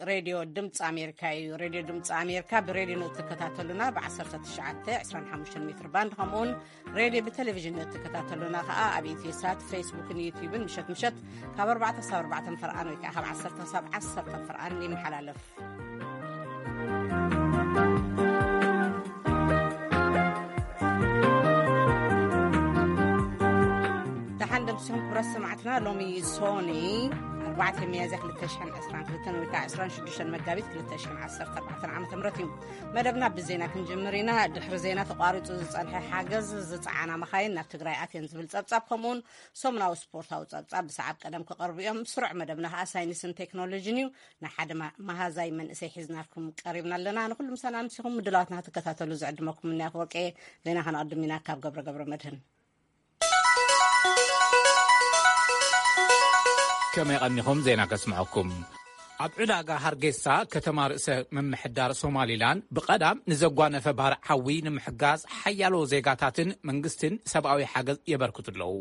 ሬድዮ ድምፂ ኣሜሪካ እዩ። ሬድዮ ድምፂ ኣሜሪካ ብሬድዮ ንእትከታተሉና ብ19፣ 25 ሜትር ባንድ፣ ከምኡውን ሬድዮ ብቴሌቪዥን ንእትከታተሉና ከዓ ኣብ ኢትዮሳት፣ ፌስቡክን ዩቲዩብን ምሸት ምሸት ካብ ኣርባዕተ ክሳብ ኣርባዕተ ፈርቓን ወይ ከዓ ካብ ዓሰርተ ክሳብ ዓሰርተ ፈርቓን ይመሓላለፍ። ደሓን ደምሲኹም ክብረት ሰማዕትና። ሎሚ ሶኒ ኣርባዕተ ሚያዝያ ክልተ ሽሕን ዕስራን ክልተን ወይ ከዓ ዕስራን ሽዱሽተን መጋቢት ክልተ ሽሕን ዓሰርተ ኣርባዕተን ዓመተ ምህረት እዩ። መደብና ብዜና ክንጅምር ኢና። ድሕሪ ዜና ተቋሪጹ ዝጸንሐ ሓገዝ ዝጸዓና መኻይን ናብ ትግራይ ኣትየን ዝብል ጸብጻብ፣ ከምኡውን ሰሙናዊ ስፖርታዊ ጸብጻብ ብሰዓብ ቀደም ክቐርቡ እዮም። ስሩዕ መደብና ከዓ ሳይንስን ቴክኖሎጂን እዩ። ንሓደ ማ-፣ መሃዛይ መንእሰይ ሒዝናልኩም ቀሪብና ኣለና። ንኹሉ ምሳና ኣምሲኹም ምድላዋትና ክትከታተሉ ዝዕድመኩም እኒ ኣፈወርቄ። ዜና ከነቐድም ኢና ካብ ገብረ ገብረ መድህን። ከመይ ቀኒኹም? ዜና ከስምዐኩም። ኣብ ዕዳጋ ሃርጌሳ፣ ከተማ ርእሰ ምምሕዳር ሶማሊላንድ፣ ብቐዳም ንዘጓነፈ ባርዕ ሓዊ ንምሕጋዝ ሓያሎ ዜጋታትን መንግስትን ሰብኣዊ ሓገዝ የበርክቱ ኣለዉ።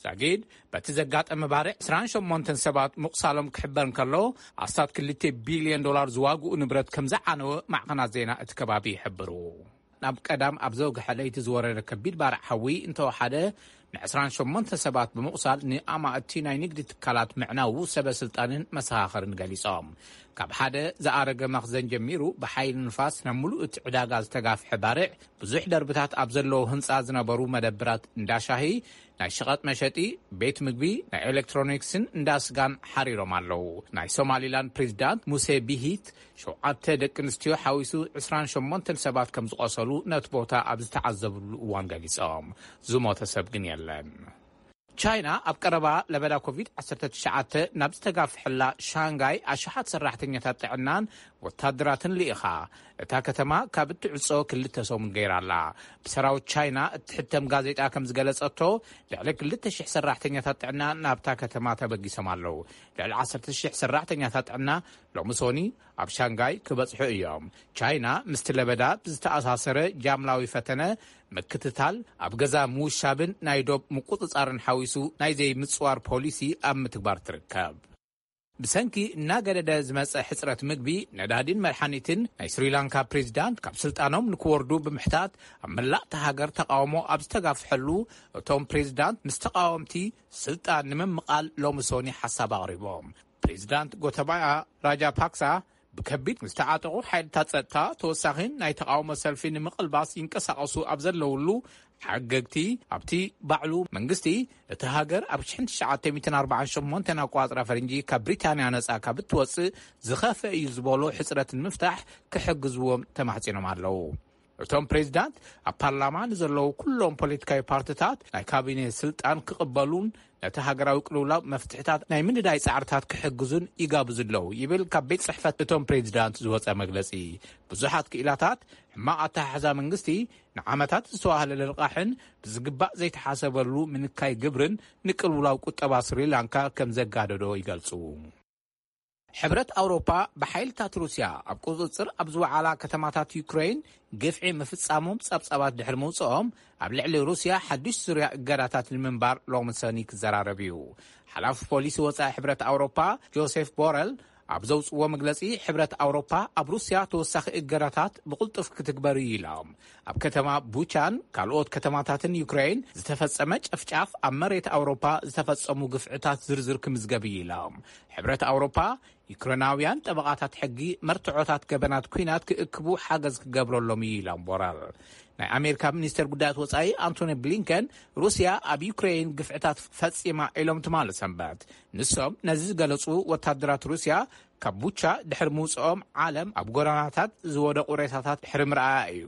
ዛጊድ በቲ ዘጋጠመ ባርዕ ዕስራን ሸሞንተን ሰባት ምቑሳሎም ክሕበር እንከሎ፣ ኣስታት ክልተ ቢልዮን ዶላር ዝዋግኡ ንብረት ከም ዝዓነወ ማዕኸናት ዜና እቲ ከባቢ ይሕብሩ። ናብ ቀዳም ኣብ ዘውግሐ ለይቲ ዝወረደ ከቢድ ባርዕ ሓዊ እንተወሓደ፣ ን28 ሰባት ብምቑሳል፣ ንኣማእቲ ናይ ንግዲ ትካላት ምዕናዉ ሰበ ስልጣንን መሰኻኽርን ገሊጾም። ካብ ሓደ ዝኣረገ መኽዘን ጀሚሩ፣ ብሓይሊ ንፋስ ናብ ምሉእ እቲ ዕዳጋ ዝተጋፍሐ ባርዕ፣ ብዙሕ ደርብታት ኣብ ዘለዎ ህንጻ ዝነበሩ መደብራት፣ እንዳ ሻሂ፣ ናይ ሸቐጥ መሸጢ፣ ቤት ምግቢ፣ ናይ ኤሌክትሮኒክስን እንዳ ስጋን ሓሪሮም ኣለዉ። ናይ ሶማሊላንድ ፕሬዚዳንት ሙሴ ቢሂት፣ ሸውዓተ ደቂ ኣንስትዮ ሓዊሱ ዕስራን ሸሞንተን ሰባት ከም ዝቖሰሉ ነቲ ቦታ ኣብ ዝተዓዘብሉ እዋን ገሊጾም። ዝሞተ ሰብ ግን የለን። ቻይና ኣብ ቀረባ ለበዳ ኮቪድ ዓሰርተ ትሽዓተ ናብ ዝተጋፍሐላ ሻንጋይ ኣሽሓት ሰራሕተኛታት ጥዕናን ወታደራትን ልኢኻ፣ እታ ከተማ ካብ እትዕጾ ክልተ ሰሙን ገይራ ኣላ። ብሰራዊት ቻይና እትሕተም ጋዜጣ ከም ዝገለጸቶ፣ ልዕሊ ክልተ ሽሕ ሰራሕተኛታት ጥዕና ናብታ ከተማ ተበጊሶም ኣለዉ። ልዕሊ ዓሰርተ ሽሕ ሰራሕተኛታት ጥዕና ሎሚ ሶኒ ኣብ ሻንጋይ ክበጽሑ እዮም። ቻይና ምስቲ ለበዳ ብዝተኣሳሰረ ጃምላዊ ፈተነ፣ ምክትታል፣ ኣብ ገዛ ምውሻብን ናይ ዶብ ምቁጽጻርን ሓዊሱ ናይ ዘይምጽዋር ፖሊሲ ኣብ ምትግባር ትርከብ። ብሰንኪ እናገደደ ዝመጸ ሕጽረት ምግቢ፣ ነዳዲን መድሓኒትን፣ ናይ ስሪላንካ ፕሬዚዳንት ካብ ስልጣኖም ንክወርዱ ብምሕታት ኣብ መላእ እታ ሃገር ተቃውሞ ኣብ ዝተጋፍሐሉ፣ እቶም ፕሬዚዳንት ምስ ተቃወምቲ ስልጣን ንምምቓል ሎሚ ሶኒ ሓሳብ ኣቕሪቦም። ፕሬዚዳንት ጎተባያ ራጃፓክሳ ብከቢድ ዝተዓጠቑ ሓይልታት ጸጥታ ተወሳኺ ናይ ተቃውሞ ሰልፊ ንምቕልባስ ይንቀሳቐሱ ኣብ ዘለውሉ፣ ሓገግቲ ኣብቲ ባዕሉ መንግስቲ እቲ ሃገር ኣብ ሽሕን ትሽዓተ ሚእትን ኣርባዓን ሸሞንተን ኣቆጻጽራ ፈረንጂ ካብ ብሪታንያ ነጻ ካብ እትወጽእ ዝኸፍአ እዩ ዝበሎ ሕጽረት ንምፍታሕ ክሕግዝዎም ተማሕጺኖም ኣለዉ። እቶም ፕሬዚዳንት ኣብ ፓርላማ ንዘለዉ ኩሎም ፖለቲካዊ ፓርቲታት ናይ ካቢኔ ስልጣን ክቕበሉን ነቲ ሃገራዊ ቅልውላው መፍትሕታት ናይ ምንዳይ ጻዕርታት ክሕግዙን ይጋብዙ ኣለዉ ይብል ካብ ቤት ጽሕፈት እቶም ፕሬዚዳንት ዝወጸ መግለጺ። ብዙሓት ክኢላታት ሕማቕ ኣተሓሕዛ መንግስቲ ንዓመታት ዝተዋህለለ ልቓሕን ብዝግባእ ዘይተሓሰበሉ ምንካይ ግብርን ንቅልውላው ቁጠባ ስሪላንካ ከም ዘጋደዶ ይገልጹ። ሕብረት ኣውሮፓ ብሓይልታት ሩስያ ኣብ ቁጽጽር ኣብ ዝወዓላ ከተማታት ዩክሬን ግፍዒ ምፍጻሞም ጸብጻባት ድሕሪ ምውጽኦም፣ ኣብ ልዕሊ ሩስያ ሓድሽ ዙርያ እገዳታት ንምንባር ሎሚ ሰኒ ክዘራረብ እዩ። ሓላፊ ፖሊሲ ወጻኢ ሕብረት ኣውሮፓ ጆሴፍ ቦረል ኣብ ዘውጽዎ መግለጺ፣ ሕብረት ኣውሮፓ ኣብ ሩስያ ተወሳኺ እገዳታት ብቕልጡፍ ክትግበር እዩ ኢሎም። ኣብ ከተማ ቡቻን ካልኦት ከተማታትን ዩክሬን ዝተፈጸመ ጨፍጫፍ፣ ኣብ መሬት ኣውሮፓ ዝተፈጸሙ ግፍዕታት ዝርዝር ክምዝገብ እዩ ኢሎም። ሕብረት ኣውሮፓ ዩክሬናውያን ጠበቓታት ሕጊ መርትዖታት ገበናት ኲናት ክእክቡ ሓገዝ ክገብረሎም እዩ ኢሎም ቦረል። ናይ ኣሜሪካ ሚኒስተር ጉዳያት ወጻኢ ኣንቶኒ ብሊንከን፣ ሩስያ ኣብ ዩክሬን ግፍዕታት ፈጺማ ኢሎም ትማሊ ሰንበት። ንሶም ነዚ ዝገለጹ፣ ወታደራት ሩስያ ካብ ቡቻ ድሕሪ ምውጽኦም ዓለም ኣብ ጎዳናታት ዝወደቑ ሬሳታት ድሕሪ ምርኣያ እዩ።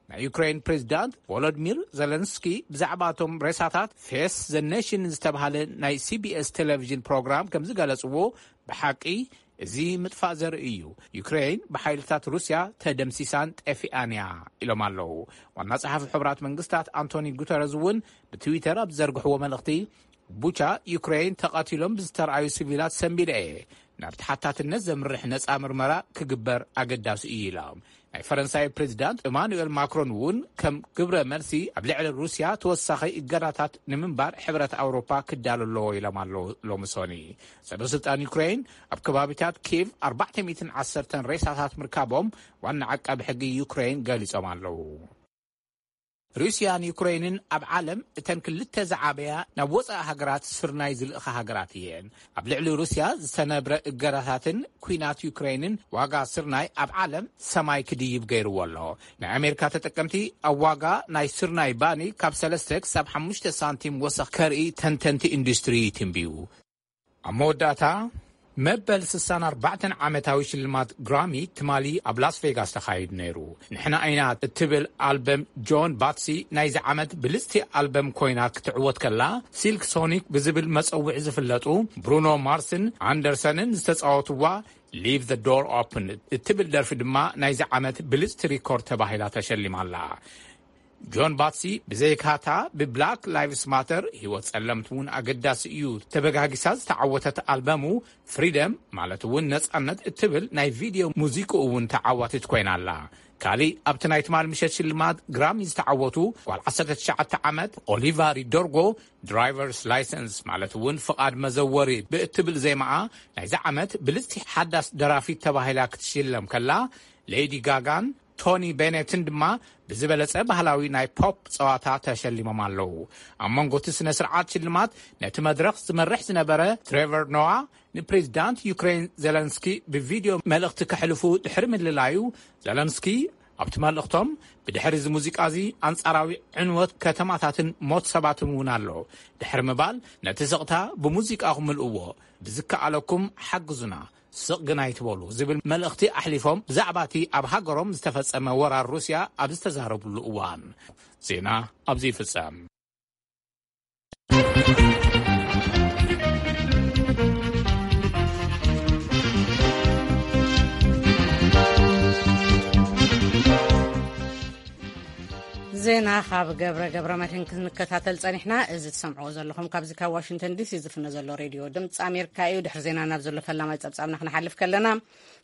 ናይ ዩክሬን ፕሬዚዳንት ቮሎዲሚር ዜለንስኪ ብዛዕባ እቶም ሬሳታት ፌስ ዘ ኔሽን ዝተባህለ ናይ ሲቢኤስ ቴሌቪዥን ፕሮግራም ከም ዝገለጽዎ፣ ብሓቂ እዚ ምጥፋእ ዘርኢ እዩ። ዩክሬን ብሓይልታት ሩስያ ተደምሲሳን ጠፊኣን እያ ኢሎም ኣለዉ። ዋና ጸሓፊ ሕቡራት መንግስታት ኣንቶኒ ጉተረዝ እውን ብትዊተር ኣብ ዝዘርግሕዎ መልእኽቲ፣ ቡቻ ዩክሬን ተቐቲሎም ብዝተረኣዩ ሲቪላት ሰንቢደ እየ። ናብ ተሓታትነት ዘምርሕ ነጻ ምርመራ ክግበር ኣገዳሲ እዩ ኢሎም። ናይ ፈረንሳይ ፕሬዚዳንት ኢማኑኤል ማክሮን እውን ከም ግብረ መልሲ ኣብ ልዕሊ ሩስያ ተወሳኺ እገዳታት ንምንባር ሕብረት ኣውሮፓ ክዳሎ ኣለዎ ኢሎም ኣለዉ። ሎሚ ሶኒ ሰበ ስልጣን ዩክሬን ኣብ ከባቢታት ኪቭ ኣርባዕተ ሚእትን ዓሰርተን ሬሳታት ምርካቦም ዋና ዓቃቢ ሕጊ ዩክሬን ገሊጾም ኣለዉ። ሩስያን ዩክሬንን ኣብ ዓለም እተን ክልተ ዝዓበያ ናብ ወጻኢ ሃገራት ስርናይ ዝልእኻ ሃገራት እየን። ኣብ ልዕሊ ሩስያ ዝተነብረ እገዳታትን ኲናት ዩክሬንን ዋጋ ስርናይ ኣብ ዓለም ሰማይ ክድይብ ገይርዎ ኣሎ። ናይ ኣሜሪካ ተጠቀምቲ ኣብ ዋጋ ናይ ስርናይ ባኒ ካብ ሰለስተ ክሳብ ሓሙሽተ ሳንቲም ወሰኽ ከርኢ ተንተንቲ ኢንዱስትሪ ይትንብዩ። ኣብ መወዳእታ፣ መበል ስሳን ኣርባዕተን ዓመታዊ ሽልማት ግራሚ ትማሊ ኣብ ላስ ቬጋስ ተኻይዱ ነይሩ። ንሕና ኢና እትብል ኣልበም ጆን ባትሲ ናይዚ ዓመት ብልጽቲ ኣልበም ኮይና ክትዕወት ከላ፣ ሲልክ ሶኒክ ብዝብል መጸውዒ ዝፍለጡ ብሩኖ ማርስን ኣንደርሰንን ዝተጻወትዋ ሊቭ ዘ ዶር ኦፕን እትብል ደርፊ ድማ ናይዚ ዓመት ብልጽቲ ሪኮርድ ተባሂላ ተሸሊማ ኣላ። ጆን ባትሲ ብዘይካታ ብብላክ ላይቭስ ማተር ህይወት ጸለምቲ እውን ኣገዳሲ እዩ ተበጋጊሳ ዝተዓወተት ኣልበሙ ፍሪደም ማለት እውን ነጻነት እትብል ናይ ቪድዮ ሙዚቃ እውን ተዓዋቲት ኮይና ኣላ። ካሊእ ኣብቲ ናይ ትማል ምሸት ሽልማት ግራሚ ዝተዓወቱ ጓል ዓሰርተ ትሽዓተ ዓመት ኦሊቫ ሪዶርጎ ድራይቨርስ ላይሰንስ ማለት እውን ፍቓድ መዘወሪ ብእትብል ዜማኣ ናይዚ ዓመት ብልጽቲ ሓዳስ ደራፊት ተባሂላ ክትሽለም ከላ፣ ሌዲ ጋጋን ቶኒ ቤኔትን ድማ ብዝበለጸ ባህላዊ ናይ ፖፕ ጸዋታ ተሸሊሞም ኣለዉ። ኣብ መንጎ እቲ ስነ ስርዓት ሽልማት ነቲ መድረኽ ዝመርሕ ዝነበረ ትሬቨር ኖዋ ንፕሬዚዳንት ዩክሬን ዜለንስኪ ብቪድዮ መልእኽቲ ከሕልፉ ድሕሪ ምልላዩ፣ ዜለንስኪ ኣብቲ መልእኽቶም፣ ብድሕሪ እዚ ሙዚቃ እዚ ኣንጻራዊ ዕንወት ከተማታትን ሞት ሰባትን እውን ኣሎ ድሕሪ ምባል፣ ነቲ ስቕታ ብሙዚቃ ክምልእዎ ብዝከኣለኩም ሓግዙና፣ ስቕ ግን ኣይትበሉ ዝብል መልእኽቲ ኣሕሊፎም፣ ብዛዕባ እቲ ኣብ ሃገሮም ዝተፈጸመ ወራር ሩስያ ኣብ ዝተዛረብሉ እዋን። ዜና ኣብዚ ይፍጸም። ዜና ካብ ገብረ ገብረ መድህን ክንከታተል ጸኒሕና። እዚ ትሰምዕዎ ዘለኹም ካብዚ ካብ ዋሽንግተን ዲሲ ዝፍነ ዘሎ ሬድዮ ድምፂ ኣሜሪካ እዩ። ድሕሪ ዜና ናብ ዘሎ ፈላማይ ጸብጻብና ክንሓልፍ ከለና፣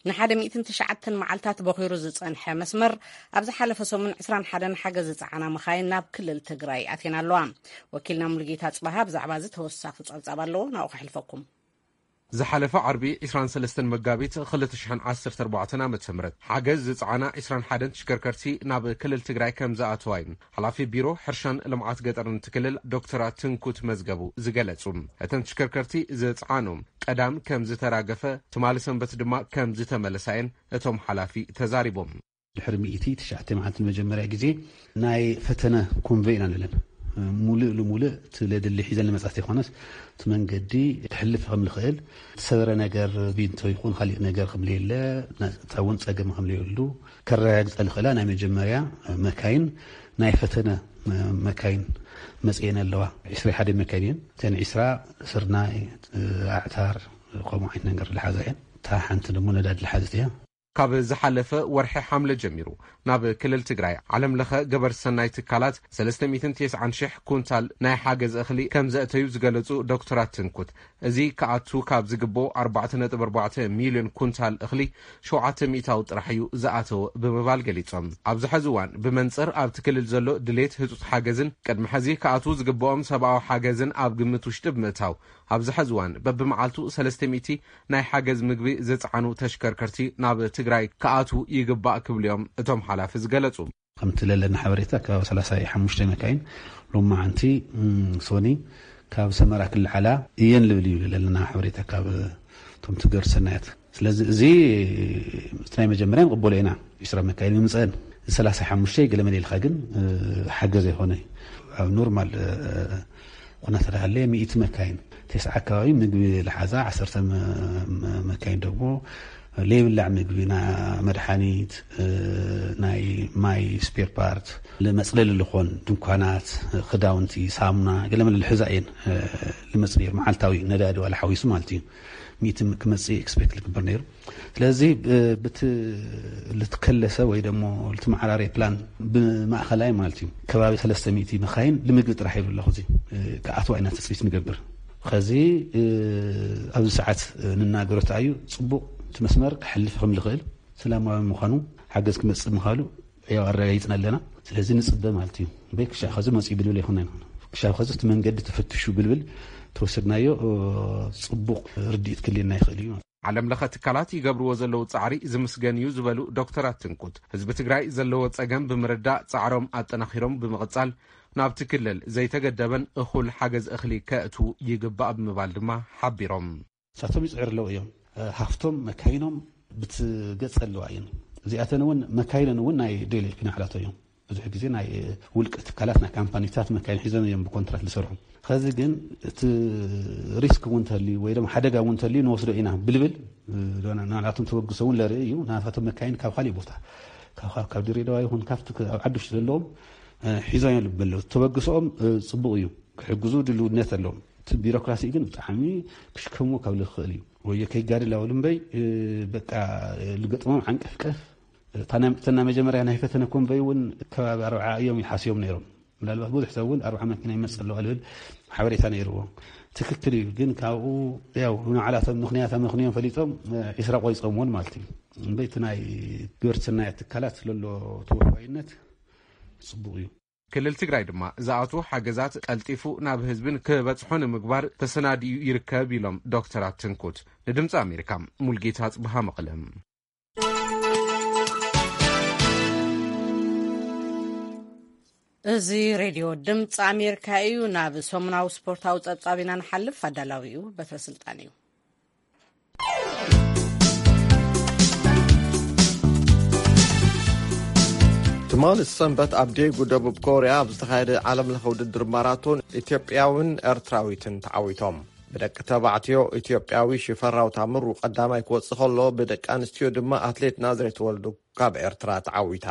ንሓደ ሚእትን ትሽዓተን መዓልታት በኺሩ ዝጸንሐ መስመር፣ ኣብ ዝሓለፈ ሰሙን ዕስራን ሓደን ሓገዝ ዝጸዓና መኻይን ናብ ክልል ትግራይ ኣትየን ኣለዋ። ወኪልና ሙሉጌታ ጽባሃ ብዛዕባ እዚ ተወሳኺ ጸብጻብ ኣለዎ፣ ናብኡ ከሕልፈኩም። ዝሓለፈ ዓርቢ ዕስራን ሰለስተን መጋቢት ክልተ ሽሕን ዓሰርተ ኣርባዕተን ዓመተ ምህረት ሓገዝ ዝጸዓና ዕስራን ሓደን ተሽከርከርቲ ናብ ክልል ትግራይ ከም ዝኣተዋ እዩ ሓላፊ ቢሮ ሕርሻን ልምዓት ገጠርን እቲ ክልል ዶክተር ትንኩት መዝገቡ ዝገለጹ። እተን ተሽከርከርቲ ዝጸዓኑ ቀዳም ከም ዝተራገፈ፣ ትማሊ ሰንበት ድማ ከም ዝተመለሳ እየን እቶም ሓላፊ ተዛሪቦም። ድሕሪ ሚእቲ ትሽዓተ መዓልቲ ንመጀመርያ ግዜ ናይ ፈተነ ኮንቨይ ኢና ንብለን። ሙሉእ ልሙሉእ እቲ ለድሊ ሒዘን ልመጻ ዘይኮነስ፣ እቲ መንገዲ ክሕልፍ ከም ልኽእል፣ ዝሰበረ ነገር ቢንቶ ይኹን ካሊእ ነገር ከም ለየለ፣ ናጻ እውን ጸገም ከም ለየሉ ከረጋግጸ ልኽእላ ናይ መጀመርያ መካይን፣ ናይ ፈተነ መካይን መጽኤን ኣለዋ። ዕስራ ሓደ መካይን እየን። እተን ዕስራ ስርናይ፣ ኣዕታር፣ ከምኡ ዓይነት ነገር ልሓዛ እየን። እታ ሓንቲ ደሞ ነዳዲ ልሓዘት እያ። ካብ ዝሓለፈ ወርሒ ሓምለ ጀሚሩ ናብ ክልል ትግራይ ዓለም ለኸ ገበር ሰናይ ትካላት ሰለስተ ሚእትን ተስዓን ሽሕ ኩንታል ናይ ሓገዝ እኽሊ ከም ዘእተዩ ዝገለጹ ዶክተራት ትንኩት፣ እዚ ክኣቱ ካብ ዝግብኦ ኣርባዕተ ነጥቢ ኣርባዕተ ሚልዮን ኩንታል እኽሊ ሸውዓተ ሚእታዊ ጥራሕ እዩ ዝኣተወ ብምባል ገሊጾም። ኣብዚ ሐዚ እዋን ብመንጽር ኣብቲ ክልል ዘሎ ድሌት ህጹጽ ሓገዝን ቅድሚ ሐዚ ክኣትዉ ዝግብኦም ሰብኣዊ ሓገዝን ኣብ ግምት ውሽጢ ብምእታው፣ ኣብዚ ሐዚ እዋን በብመዓልቱ ሰለስተ ሚእቲ ናይ ሓገዝ ምግቢ ዝጸዓኑ ተሽከርከርቲ ናብ ትግራይ ክኣትዉ ይግባእ ክብሉ እዮም እቶም ሓላፊ ዝገለጹ። ከምቲ ለለና ሓበሬታ፣ ከባቢ ሰላሳ ሓሙሽተ መካይን ሎማዓንቲ፣ እም፣ ሶኒ ካብ ሰመራ ክልዓላ እየን ልብል እዩ ለለና ሓበሬታ ካብ እቶም ትገር ሰናያት። ስለዚ እዚ እቲ ናይ መጀመርያ ንቕበሎ ኢና። ዕስራ መካይን ምምፀአን፣ ሰላሳ ሓሙሽተ ገለ መለ ኢልካ ግን፣ እ፣ ሓገዝ ኣይኮነ። ኣብ ኖርማል፣ እ፣ ኩነታት ሃለየ ሚእቲ መካይን፣ ተስዓ ኣካባቢ ምግቢ ልሓዛ፣ ዓሰርተ መ-፣ መ-፣ መካይን ደግሞ ለይብላዕ ምግቢ፣ ና-፣ መድሓኒት፣ እ፣ ናይ ማይ ስፔር ፓርት፣ ልመፅለሊ ልኾን ድንኳናት፣ ክዳውንቲ፣ ሳሙና፣ ገለ መለ ልሕዛ እየን፣ እ፣ ልመፅ ነይሩ። መዓልታዊ ነዳዲ ዋላ ሓዊሱ ማለት እዩ። ሚእቲ ክመፅእ ኤክስፔክት ልግበር ነይሩ። ስለዚ፣ እ፣ ብቲ ልትከለሰ ወይ ደሞ ልትመዓራረየ ፕላን ብማእኸላይ ማለት እዩ፣ ከባቢ ሰለስተ ሚእቲ መኻይን ልምግቢ ጥራሕ ይብሉ ኣለኹ። እዚ፣ እ፣ ክኣትዋ ኢና ትፅቢት ንገብር። ኸዚ፣ እ፣ ኣብዚ ሰዓት፣ እ፣ ንናገሮ ተኣዩ ፅቡቕ እቲ መስመር ክሕልፍ ከም ልኽእል ሰላማዊ ምዃኑ፣ ሓገዝ ክመጽእ ምዃኑ ያው ኣረጋጊጽና ኣለና። ስለዚ ንጽበ ማለት እዩ። በይ ክሻብ ኸዚ መጽኡ ብልብል ኣይኮንና ኢና። ክሻብ ኸዚ እቲ መንገዲ ተፈትሹ ብልብል ተወሰድናዮ፣ እ፣ ጽቡቕ ርድኢት ክልየና ይኽእል እዩ። ዓለም ለኸ ትካላት ይገብርዎ ዘለዉ ጻዕሪ ዝምስገን እዩ ዝበሉ ዶክተር ኣትንኩት፣ ህዝቢ ትግራይ ዘለዎ ጸገም ብምርዳእ ጻዕሮም ኣጠናኺሮም ብምቕጻል ናብቲ ክልል ዘይተገደበን እኹል ሓገዝ እኽሊ ከእትዉ ይግባእ ብምባል ድማ ሓቢሮም። ንሳቶም ይጽዕሩ ኣለዉ እዮም። ሃፍቶም መካይኖም ብትገጽ ኣለዋ እየን። እዚኣተን እውን መካይነን እውን ናይ ዴሊ ፊናዕላቶ እዮም። ብዙሕ ግዜ ናይ ውልቀ ትካላት፣ ናይ ካምፓኒታት መካይን ሒዞም እዮም ብኮንትራት ዝሰርሑ። ኸዚ ግን እቲ ሪስክ እውን እንተልዩ ወይ ድማ ሓደጋ እውን እንተልዩ ንወስዶ ኢና ብልብል፣ እ፣ ናላቶም ተበግሶ እውን ለርኢ እዩ። ናታቶም መካይን ካብ ካሊእ ቦታ፣ ካብ፣ ካብ፣ ካብ ድሬዳዋ ይኹን ካብቲ ክ-፣ ኣብ ዓዲ ውሽጢ ዘለዎም፣ እ፣ ሒዞም እዮም ኣለዉ። ተበግሶኦም፣ እ፣ ጽቡቕ እዩ። ክሕግዙ ድልውነት ኣለዎም። እቲ ቢሮክራሲ ግን ብጣዕሚ ክሽከምዎ ካብ ዝኽእል እዩ። ወዮ ከይጋድል ኣውል እምበይ፣ እ፣ በቃ፣ እ፣ ልገጥሞም ዓንቀፍቀፍ። እታ ናይ፣ እተን ናይ መጀመርያ ናይ ፈተነ ኮንቨይ እውን ከባቢ ኣርብዓ እዮም ይሓስዮም ነይሮም። ምናልባት ብዙሕ ሰብ እውን ኣርብዓ መኪና ይመጽእ ኣለዋ ልብል ሓበሬታ ነይርዎ። ትክክል እዩ። ግን ካብኡ ያው ንዓላቶም ምኽንያት ኣመኽንዮም ፈሊጦም፣ እ፣ ዒስራ ቆይጾም እውን ማለት እዩ። እምበይ እቲ ናይ ግብርትና ትካላት ለሎ ተወፋይነት ጽቡቕ እዩ። ክልል ትግራይ ድማ ዝኣትዉ ሓገዛት ቀልጢፉ ናብ ህዝብን ክበጽሖ ንምግባር ተሰናዲኡ ይርከብ ኢሎም ዶክተር ኣትንኩት። ንድምፂ ኣሜሪካ ሙልጌታ ጽብሃ መቐለ። እዚ ሬድዮ ድምፂ ኣሜሪካ እዩ። ናብ ሰሙናዊ ስፖርታዊ ጸብጻብ ኢና ንሓልፍ። ኣዳላዊኡ በትረ ስልጣን እዩ። ትማሊ ሰንበት ኣብ ዴጉ ደቡብ ኮርያ ኣብ ዝተኻየደ ዓለም ለኸ ውድድር ማራቶን ኢትዮጵያውን ኤርትራዊትን ተዓዊቶም። ብደቂ ተባዕትዮ ኢትዮጵያዊ ሽፈራው ታምሩ ቀዳማይ ክወጽእ ከሎ፣ ብደቂ ኣንስትዮ ድማ ኣትሌት ናዝሬት ወልዱ ካብ ኤርትራ ተዓዊታ።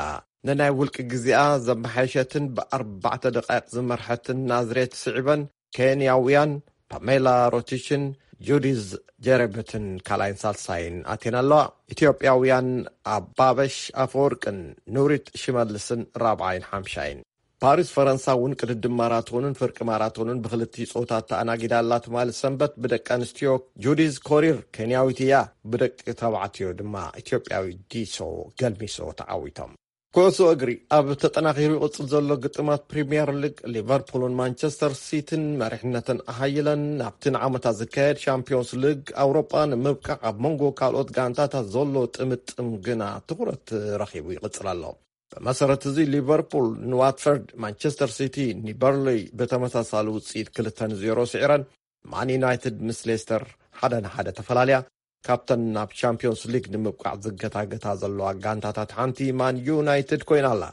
ንናይ ውልቂ ግዜኣ ዘመሓየሸትን ብኣርባዕተ ደቃይቕ ዝመርሐትን ናዝሬት ስዒበን፣ ኬንያውያን ፓሜላ ሮቲሽን ጁዲዝ ጀረብትን ካልኣይን ሳልሳይን ኣትየን ኣለዋ። ኢትዮጵያውያን ኣባበሽ ኣፈወርቅን ኑሪት ሽመልስን ራብዓይን ሓምሻይን። ፓሪስ ፈረንሳ እውን ቅድድም ማራቶንን ፍርቂ ማራቶንን ብክልቲኡ ጾታ ተኣናጊዳ ኣላ። ትማሊ ሰንበት ብደቂ ኣንስትዮ ጁዲዝ ኮሪር ኬንያዊት እያ፣ ብደቂ ተባዕትዮ ድማ ኢትዮጵያዊ ዲሶ ገልሚሶ ተዓዊቶም። ኩዕሶ እግሪ። ኣብ ተጠናኺሩ ይቕጽል ዘሎ ግጥማት ፕሪምየር ሊግ፣ ሊቨርፑልን ማንቸስተር ሲቲን መሪሕነተን ኣሃይለን ናብቲ ንዓመታ ዝካየድ ሻምፒዮንስ ሊግ ኣውሮጳ ንምብቃዕ ኣብ መንጎ ካልኦት ጋንታታት ዘሎ ጥምጥም ግና ትኹረት ረኺቡ ይቕጽል ኣሎ። ብመሰረት እዚ ሊቨርፑል ንዋትፈርድ፣ ማንቸስተር ሲቲ ንበርንሊ ብተመሳሳሊ ውጽኢት ክልተ ንዜሮ ስዒረን፣ ማን ዩናይትድ ምስ ሌስተር ሓደ ንሓደ ተፈላልያ ካብተን ናብ ቻምፒዮንስ ሊግ ንምብቃዕ ዝገታገታ ዘለዋ ጋንታታት ሓንቲ ማን ዩናይትድ ኮይና ኣላ።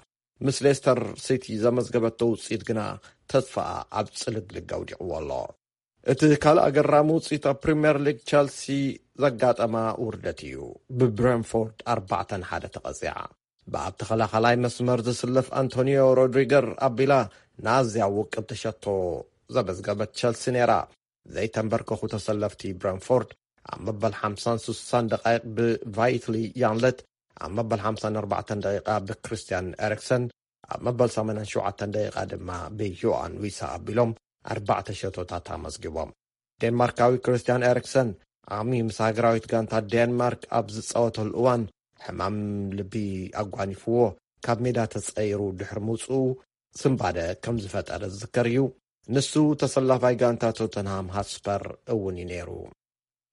ምስ ሌስተር ሲቲ ዘመዝገበቶ ውፅኢት ግና ተስፋኣ ኣብ ፅልግልግ ኣውዲቕዎ ኣሎ። እቲ ካልእ ኣገራሚ ውፅኢት ኣብ ፕሪምየር ሊግ ቸልሲ ዘጋጠማ ውርደት እዩ። ብብሬንፎርድ ኣርባዕተ ንሓደ ተቐፂዓ። ብኣብ ተኸላኻላይ መስመር ዝስለፍ ኣንቶኒዮ ሮድሪገር ኣቢላ ንኣዝያ ውቅብቲ ሸቶ ዘመዝገበት ቸልሲ ነይራ። ዘይተንበርከኹ ተሰለፍቲ ብረንፎርድ ኣብ መበል ሓምሳን ስሳን ደቃይቕ ብቫይትሊ ያንለት፣ ኣብ መበል ሓምሳን ኣርባዕተን ደቂቓ ብክሪስትያን ኤሪክሰን፣ ኣብ መበል ሰማንያን ሸውዓተን ደቂቓ ድማ ብዮኣን ዊሳ ኣቢሎም ኣርባዕተ ሸቶታት ኣመዝጊቦም። ዴንማርካዊ ክሪስትያን ኤሪክሰን ዓሚ ምስ ሃገራዊት ጋንታ ዴንማርክ ኣብ ዝጻወተሉ እዋን ሕማም ልቢ ኣጓኒፍዎ ካብ ሜዳ ተጸይሩ ድሕሪ ምውጽኡ ስንባደ ከም ዝፈጠረ ዝዝከር እዩ። ንሱ ተሰላፋይ ጋንታ ቶተንሃም ሃትስፐር እውን እዩ ነይሩ።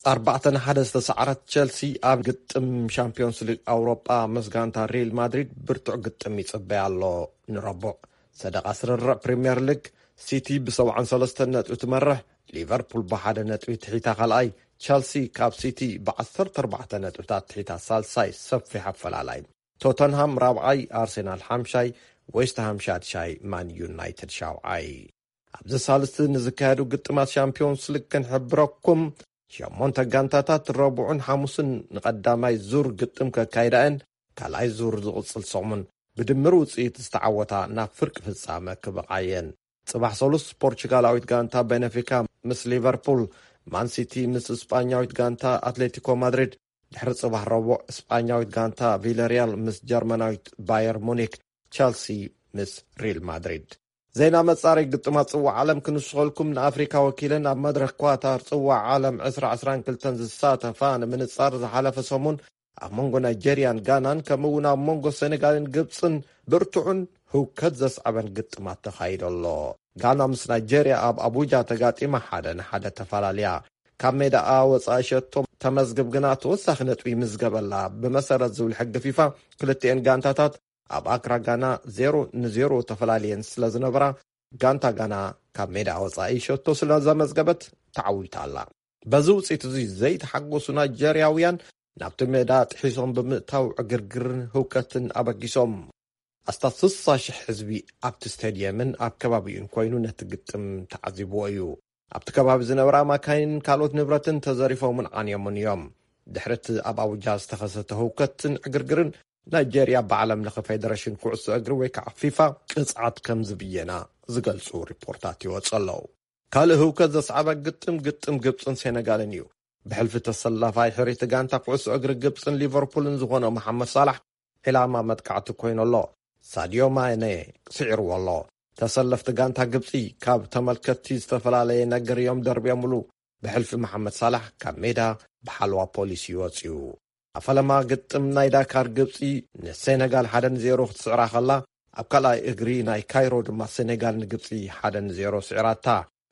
ኣርባዕተ ንሓደ ዝተሰዓረት ቸልሲ ኣብ ግጥም ሻምፒዮንስ ሊግ ኣውሮጳ ምስ ጋንታ ሪል ማድሪድ ብርቱዕ ግጥም ይጽበያ ኣሎ። ንረቡዕ ሰደቓ ስርርዕ ፕሪምየር ሊግ፣ ሲቲ ብሰብዓን ሰለስተን ነጥቢ ትመርሕ፣ ሊቨርፑል ብሓደ ነጥቢ ትሒታ ካልኣይ፣ ቸልሲ ካብ ሲቲ ብዓሰርተ ኣርባዕተ ነጥብታት ትሒታ ሳልሳይ፣ ሰፊሕ ኣፈላላይ። ቶተንሃም ራብዓይ፣ ኣርሴናል ሓምሻይ፣ ዌስትሃም ሻድሻይ፣ ማን ዩናይትድ ሻውዓይ። ኣብዚ ሳልስቲ ንዝካየዱ ግጥማት ሻምፒዮንስ ሊግ ክንሕብረኩም፣ ሸሞንተ ጋንታታት ረቡዕን ሓሙስን ንቐዳማይ ዙር ግጥም ከካይዳ እየን። ካልኣይ ዙር ዝቕጽል ሰሙን ብድምር ውጽኢት ዝተዓወታ ናብ ፍርቂ ፍጻመ ክበቓ እየን። ጽባሕ ሰሉስ ፖርቹጋላዊት ጋንታ ቤነፊካ ምስ ሊቨርፑል፣ ማን ሲቲ ምስ እስጳኛዊት ጋንታ ኣትሌቲኮ ማድሪድ፣ ድሕሪ ጽባሕ ረቡዕ እስጳኛዊት ጋንታ ቪለሪያል ምስ ጀርመናዊት ባየር ሙኒክ፣ ቸልሲ ምስ ሪል ማድሪድ። ዜና መጻረይ ግጥማት ጽዋዕ ዓለም ክንስኸልኩም። ንኣፍሪካ ወኪለን ኣብ መድረኽ ኳታር ጽዋዕ ዓለም ዕስራ ዕስራን ክልተን ዝሳተፋ ንምንጻር ዝሓለፈ ሰሙን ኣብ መንጎ ናይጀርያን ጋናን ከምኡ እውን ኣብ መንጎ ሴኔጋልን ግብፅን ብርቱዕን ህውከት ዘስዓበን ግጥማት ተኻይዶ ኣሎ። ጋና ምስ ናይጀርያ ኣብ ኣቡጃ ተጋጢማ ሓደ ንሓደ ተፈላለያ። ካብ ሜዳኣ ወፃኢ ሸቶ ተመዝግብ ግና ተወሳኺ ነጥቢ ይምዝገበላ። ብመሰረት ዝብል ሕጊ ፊፋ ክልቲኤን ጋንታታት ኣብ ኣክራ ጋና ዜሮ ንዜሮ ተፈላለየን ስለ ዝነበራ፣ ጋንታ ጋና ካብ ሜዳ ወጻኢ ሸቶ ስለ ዘመዝገበት ተዓዊታ ኣላ። በዚ ውጽኢት እዚ ዘይተሓጎሱ ናይጀርያውያን ናብቲ ሜዳ ጥሒሶም ብምእታው ዕግርግርን ህውከትን ኣበጊሶም። ኣስታት ስሳ ሽሕ ህዝቢ ኣብቲ ስቴድየምን ኣብ ከባቢኡን ኮይኑ ነቲ ግጥም ተዓዚብዎ እዩ። ኣብቲ ከባቢ ዝነበራ ማካይንን ካልኦት ንብረትን ተዘሪፎምን ዓንዮምን እዮም። ድሕሪ እቲ ኣብ ኣቡጃ ዝተኸሰተ ህውከትን ዕግርግርን፣ ናይጄርያ ብዓለም ለኸ ፌደሬሽን ኩዕሶ እግሪ ወይ ከዓ ፊፋ ቅፅዓት ከም ዝብየና ዝገልፁ ሪፖርታት ይወፁ ኣለዉ። ካልእ ህውከት ዘስዓበ ግጥም፣ ግጥም ግብፅን ሴነጋልን እዩ። ብሕልፊ ተሰላፋይ ሕሪቲ ጋንታ ኩዕሶ እግሪ ግብፅን ሊቨርፑልን ዝኾነ መሓመድ ሳላሕ ዒላማ መጥቃዕቲ ኮይኑ ኣሎ። ሳዲዮ ማኔ ስዒርዎ ኣሎ። ተሰለፍቲ ጋንታ ግብፂ ካብ ተመልከትቲ ዝተፈላለየ ነገር እዮም ደርብዮምሉ። ብሕልፊ መሓመድ ሳላሕ ካብ ሜዳ ብሓለዋ ፖሊስ እዩ ወፂኡ። ኣብ ፈለማ ግጥም ናይ ዳካር ግብፂ ንሴነጋል ሓደ ንዜሮ ክትስዕራ ከላ፣ ኣብ ካልኣይ እግሪ ናይ ካይሮ ድማ ሴነጋል ንግብፂ ሓደ ንዜሮ ስዒራታ።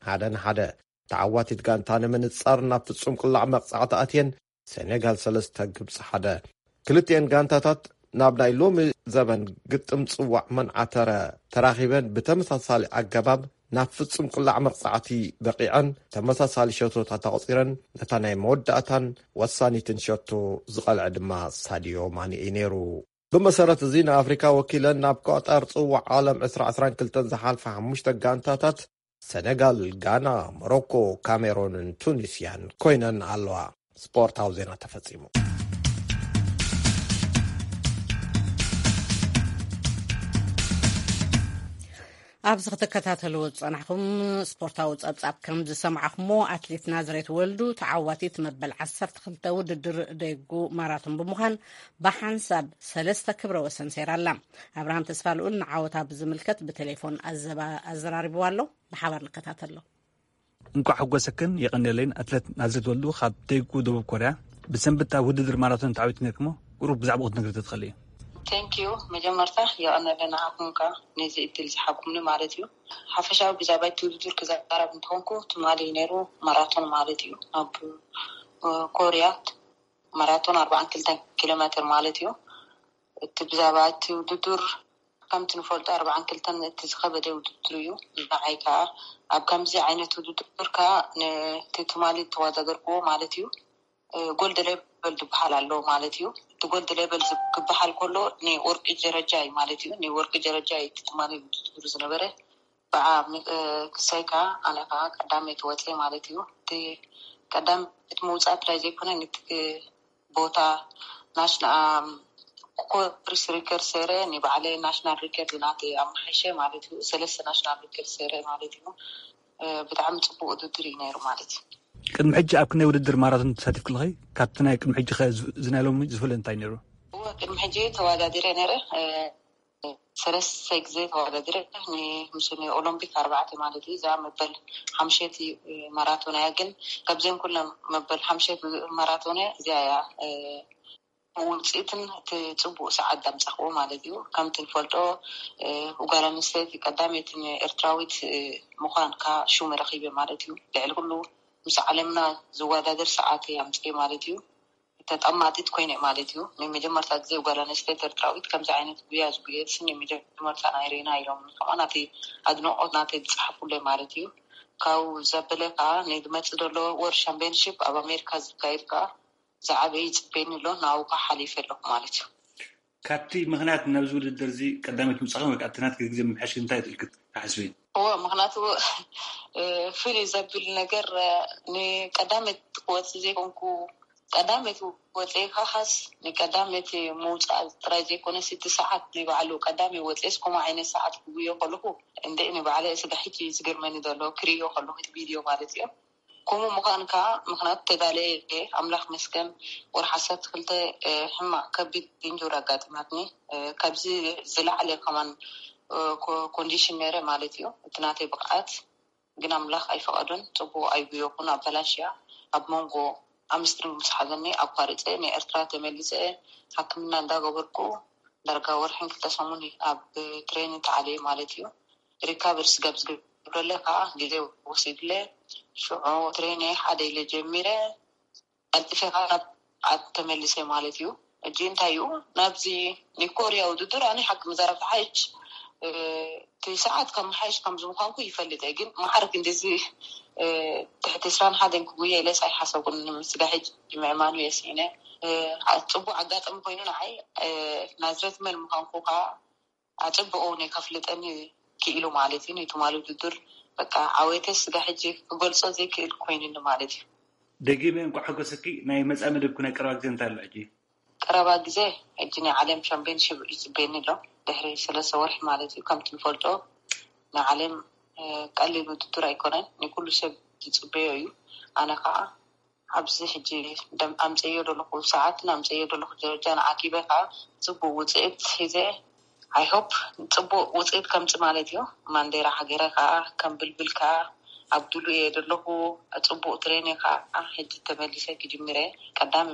ሓደ ንሓደ። ተዓዋቲት ጋንታ ንምንፃር ናብ ፍፁም ቅላዕ መቕፃዕቲ ኣትየን፣ ሴኔጋል ሰለስተ ግብፂ ሓደ። ክልቲኤን ጋንታታት ናብ ናይ ሎሚ ዘበን ግጥም ፅዋዕ መንዓተረ ተራኺበን ብተመሳሳሊ ኣገባብ ናብ ፍፁም ቅላዕ መቕፃዕቲ በቂዐን፣ ተመሳሳሊ ሸቶታት ኣቑፂረን። ነታ ናይ መወዳእታን ወሳኒትን ሸቶ ዝቐልዐ ድማ ሳዲዮ ማኔ እዩ ነይሩ። ብመሰረት እዚ ንኣፍሪካ ወኪለን ናብ ኳጣር ፅዋዕ ዓለም ዕስራ ዕስራን ክልተን ዝሓልፋ ሓሙሽተ ጋንታታት ሰነጋል፣ ጋና፣ ሞሮኮ፣ ካሜሮንን ቱኒስያን ኮይነን ኣለዋ። ስፖርታዊ ዜና ተፈጺሙ። ኣብዚ ክትከታተልዎ ዝጸናሕኩም ስፖርታዊ ጸብጻብ ከም ዝሰማዕኹሞ፣ ኣትሌት ናዝሬት ወልዱ ተዓዋቲት መበል ዓሰርተ ክልተ ውድድር ደጉ ማራቶን ብምዃን ብሓንሳብ ሰለስተ ክብረ ወሰን ሰይራ ኣላ። ኣብርሃም ተስፋልኡል ንዓወታ ብዝምልከት ብቴሌፎን ኣዘባ-፣ ኣዘራሪብዋ ኣሎ። ብሓባር ንከታተሎ። እንኳዕ ሓጎሰክን የቐንየለይን ኣትሌት ናዝሬት ወልዱ ካብ ደጉ ደቡብ ኮርያ። ብሰንበት ኣብ ውድድር ማራቶን ተዓዊትኪ ነርክሞ፣ ቁሩብ ብዛዕባኡ ክትነግሪ ተትኽእሊ እዩ። Thank you። መጀመርታ የቐንየለይ ንዓኹም ከኣ ነዚ እድል ዝሃብኩምኒ ማለት እዩ። ሓፈሻዊ ብዛዕባ እቲ ውድድር ክዛረብ እንተኾንኩ፣ ትማሊ ነይሩ ማራቶን ማለት እዩ። ኣብ፣ እ፣ ኮርያ ማራቶን ኣርባዓን ክልተን ኪሎ ሜትር ማለት እዩ። እቲ ብዛዕባ እቲ ውድድር ከምቲ ንፈልጦ ኣርባዓን ክልተን እቲ ዝኸበደ ውድድር እዩ። ንዓይ ከኣ ኣብ ከምዚ ዓይነት ውድድር ከኣ ነቲ ትማሊ ዝተወዳደርክዎ ማለት እዩ፣ እ፣ ጎልድ ሌቨል ዝበሃል ኣሎ ማለት እዩ። እቲ ጎልድ ሌቨል ዝ-፣ ክበሃል ከሎ ናይ ወርቂ ደረጃ እዩ ማለት እዩ። ናይ ወርቂ ደረጃ እዩ እቲ ትማሊ ውድድር ዝነበረ። ብዓ-፣ እ፣ ክሳይ ከኣ ኣነ ከኣ ቀዳመይቲ ወፅየ ማለት እዩ። እቲ ቀዳመይቲ ምውፃእ ጥራይ ዘይኮነ፣ ነቲ ቦታ ናሽና-፣ ኮርስ ሪከርድ ሰይረ፣ ንባዕለይ ናሽናል ሪከርድ ናተይ ኣመሓይሸ ማለት እዩ። ሰለስተ ናሽናል ሪከርድ ሰይረ ማለት እዩ። እ፣ ብጣዕሚ ፅቡቅ ውድድር እዩ ነይሩ ማለት እዩ። ቅድሚ ሕጂ ኣብ ክንደይ ውድድር ማራቶን ተሳቲፍኪ ኣለኺ? ካብቲ ናይ ቅድሚ ሕጂ ኸ ዝ-፣ እዚ ናይ ሎሚ ዝፈልዮ እንታይ ነይሩ? እወ፣ ቅድሚ ሕጂ ተወዳዲረ ነይረ። እ፣ ሰለስተ ግዜ ተወዳዲረ፣ ን-፣ ምስ ናይ ኦሎምፒክ ኣርባዕተ ማለት እዩ። እዛ መበል ሓምሸይቲ ማራቶን እያ፣ ግን ካብዘን ኩለን መበል ሓምሸይቲ ማራቶን እዚኣ እያ፣ እ፣ ውፅኢትን እቲ ፅቡቅ ሰዓት ዳምፃኽዎ ማለት እዩ። ከምቲ ንፈልጦ፣ እ፣ ጓል ኣንስተይቲ ቀዳመይቲ ኤርትራዊት፣ እ፣ ምዃን ከኣ ሽሙ ረኺበ ማለት እዩ። ልዕሊ ኩሉ ምስ ዓለምና ዝወዳደር ሰዓት እየ ኣምፅኤ ማለት እዩ። ተጠማጢት ኮይነ ማለት እዩ። ናይ መጀመርታ ግዜ ጓል ኣንስተይቲ ኤርትራዊት ከምዚ ዓይነት ጉያ ዝጉየት ናይ መጀመርታ ናይ ሬና ኢሎም ከማን ናተይ ኣድናቖት ናተይ ዝጸሓፉለይ ማለት እዩ። ካብኡ ዘበለ ከኣ ናይ ዝመጽእ ዘሎ ወርልድ ቻምፒዮንሺፕ ኣብ ኣሜሪካ ዝካየድ ከኣ ዝዓበየ ይጽበየኒ ኣሎ፣ ናብኡ ከኣ ሓሊፈ ኣለኹ ማለት እዩ። ካብቲ ምኽንያት ናብዚ ውድድር እዚ ቀዳመይቲ ምውጻእኽን ወይ ከኣ እቲ ናትኪ ግዜ ምምሕያሽ እንታይ ኢልኪ ትሓስቢ? እወ፣ ምኽንያቱ፣ እ፣ ፍልይ ዘብል ነገር፣ እ፣ ንቀዳመይቲ ክወጽእ ዘይኮንኩ፣ ቀዳመይቲ ወጺኤ ካስ ንቀዳመይቲ ምውጻእ ጥራይ ዘይኮነስ፣ እቲ ሰዓት ናይ ባዕሉ ቀዳመይ ወጺኤስ ከምኡ ዓይነት ሰዓት ክጉዮ ከለኹ፣ እንዴ ንባዕለይ ስጋ ሕጂ ዝገርመኒ ዘሎ ክርእዮ ከለኹ፣ እቲ ቪድዮ ማለት እዩ። ከምኡ ምዃን ከኣ ምኽንያቱ ተዳልየ እየ። ኣምላኽ መስገን ወርሒ ዓሰርተ ክልተ፣ እ፣ ሕማቕ ከቢድ ኢንጁሪ ኣጋጢማትኒ። እ፣ ካብዚ ዝለዓለ ከማን፣ እ፣ ኮ-፣ ኮንዲሽን ነይረ ማለት እዩ። እቲ ናተይ ብቕዓት ግን ኣምላኽ ኣይፈቐዶን። ጽቡቕ ኣይጉየኹን፣ ኣበላሽያ ኣብ መንጎ ኣምስትሪንግ ምስ ሓዘኒ ኣቋሪፀ ንኤርትራ ተመሊሰ ሕክምና እንዳገበርኩ ዳርጋ ወርሕን ክልተ ሰሙን ኣብ ትሬን ተዓልየ ማለት እዩ። ሪካቨሪ ስጋብ ዝገብረለ ከዓ ግዜ ወሲድለ ሽዑ ትሬን ሓደ ኢለ ጀሚረ ቀልጢፈ ከዓ ናብ ዓድ ተመሊሰ ማለት እዩ። እጂ እንታይ እዩ ናብዚ ናይ ኮርያ ውድድር ኣነ ሓቂ መዛረብ ተሓይሽ እቲ ሰዓት ካብ መሓይሽ ከም ዝምኳንኩ ይፈልጥ እየ ግን ማዕረ ክንዲዚ ትሕቲ ስራን ሓደን ክጉየ ኢለስ ኣይሓሰብኩን። ስጋ ሕጂ ምዕማኑ የስኢነ። ጽቡቅ ኣጋጣሚ ኮይኑ ንዓይ ናዝረት መን ምኳንኩ ከዓ ኣጸብቑ ናይ ከፍልጠኒ ክኢሉ ማለት እዩ። ንትማሊ ውድድር በቃ ዓወተ ስጋ ሕጂ ክገልጾ ዘይክእል ኮይኑኒ ማለት እዩ። ደጊመ እንኳዕ ሓጎሰኪ። ናይ መጻኢ መደብኩ ናይ ቀረባ ግዜ እንታይ ኣሎ ሕጂ? ቀረባ ግዜ ሕጂ ናይ ዓለም ሻምፒዮንሺፕ ይጽበየኒ ኣሎ። ድሕሪ ሰለስተ ወርሒ ማለት እዩ። ከምቲ ንፈልጦ ናይ ዓለም ቀሊል ውድድር ኣይኮነን። ንኩሉ ሰብ ዝጽበዮ እዩ። ኣነ ከዓ ኣብዚ ሕጂ ኣምፀዮ ዘለኹ ሰዓት ኣምፀዮ ዘለኹ ደረጃ ንዓኪበ ከዓ ፅቡቅ ውፅኢት ሒዘ ኣይሆፕ ፅቡቅ ውፅኢት ከምፅ ማለት እዩ። ማንዴራ ሃገረ ከዓ ከም ብልብል ከዓ ኣብ ድሉ እየ ዘለኹ። ፅቡቅ ትሬን ከዓ ሕጂ ተመሊሰ ክጅምረ ቀዳሚ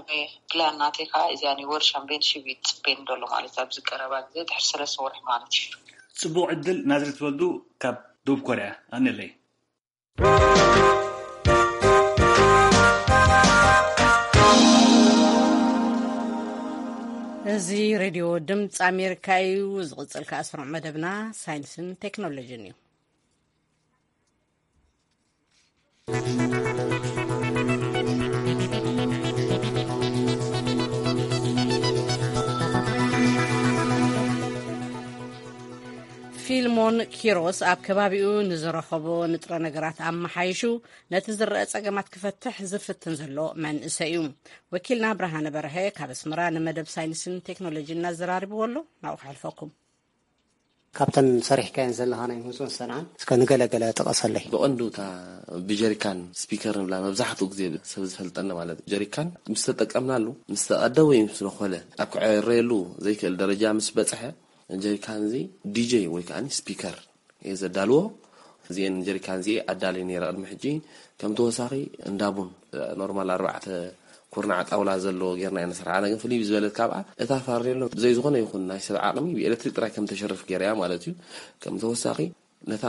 ፕላን ናተይ ከዓ እዚኣ ናይ ወር ሻምፒዮንሽፕ እዩ ዝፅበየኒ ዘሎ ማለት ኣብዚ ቀረባ ግዜ ድሕሪ ሰለስተ ወርሒ ማለት እዩ። ፅቡቅ ዕድል ናዝሬት ወልዱ ካብ ደቡብ ኮርያ ኣነለይ። እዚ ሬድዮ ድምፂ ኣሜሪካ እዩ። ዝቕፅል ከኣ ስሩዕ መደብና ሳይንስን ቴክኖሎጂን እዩ። ፊልሞን ኪሮስ ኣብ ከባቢኡ ንዝረኸቦ ንጥረ ነገራት ኣመሓይሹ ነቲ ዝረአ ጸገማት ክፈትሕ ዝፍትን ዘሎ መንእሰይ እዩ። ወኪልና ብርሃነ በርሀ ካብ ኣስመራ ንመደብ ሳይንስን ቴክኖሎጂን እናዘራርብዎ ኣሎ። ናብኡ ከሕልፈኩም። ካብተን ሰሪሕካየን ዘለኻ ናይ ምህዞን ሰንዓን እስከ ንገለገለ ጥቐሰለይ። ብቐንዱ እታ ብጀሪካን ስፒከር ንብላ መብዛሕትኡ ግዜ ሰብ ዝፈልጠና ማለት እዩ። ጀሪካን ምስ ተጠቀምናሉ፣ ምስ ተቐደ ወይ ምስ ነኾለ ኣብ ክዕረየሉ ዘይክእል ደረጃ ምስ በጽሐ፣ ጀሪካን እዚ ዲጄ ወይ ከኣ ስፒከር እየ ዘዳልዎ። እዚኤን ጀሪካን እዚኤ ኣዳልየ ነይረ ቅድሚ ሕጂ። ከም ተወሳኺ እንዳ ቡን ኖርማል ኣርባዕተ ኩርናዕ ጣውላ ዘለዎ ጌርና ኢና ንሰርሓ። ኣነ ግን ፍልይ ዝበለት ካብኣ እታ ፋሬሎ ብዘይ ዝኾነ ይኹን ናይ ሰብ ዓቕሚ ብኤሌክትሪክ ጥራይ ከም ተሸርፍ ገይረያ ማለት እዩ። ከም ተወሳኺ ነታ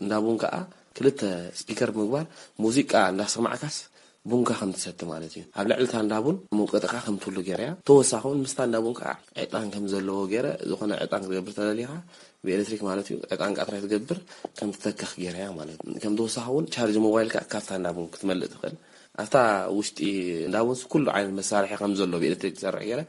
እንዳ ቡን ከኣ ክልተ ስፒከር ብምግባር ሙዚቃ እንዳሰማዕካስ ቡንካ ከም ትሰቲ ማለት እዩ። ኣብ ልዕሊ እታ እንዳ ቡን መውቀጢኻ ከም ትህሉ ገይረያ። ተወሳኺ እውን ምስታ እንዳ ቡን ከኣ ዕጣን ከም ዘለዎ ገይረ፣ ዝኾነ ዕጣን ክትገብር ተደሊኻ ብኤሌክትሪክ ማለት እዩ፣ ዕጣን ከኣ ጥራይ ትገብር ከም ትተክኽ ገይረያ ማለት እዩ። ከም ተወሳኺ እውን ቻርጅ ሞባይልካ ካብታ እንዳ ቡን ክትመልእ ትኽእል። ኣብታ ውሽጢ እንዳ ቡንስ ኩሉ ዓይነት መሳርሒ ከም ዘሎ ብኤሌክትሪክ ዝሰርሕ ገይረ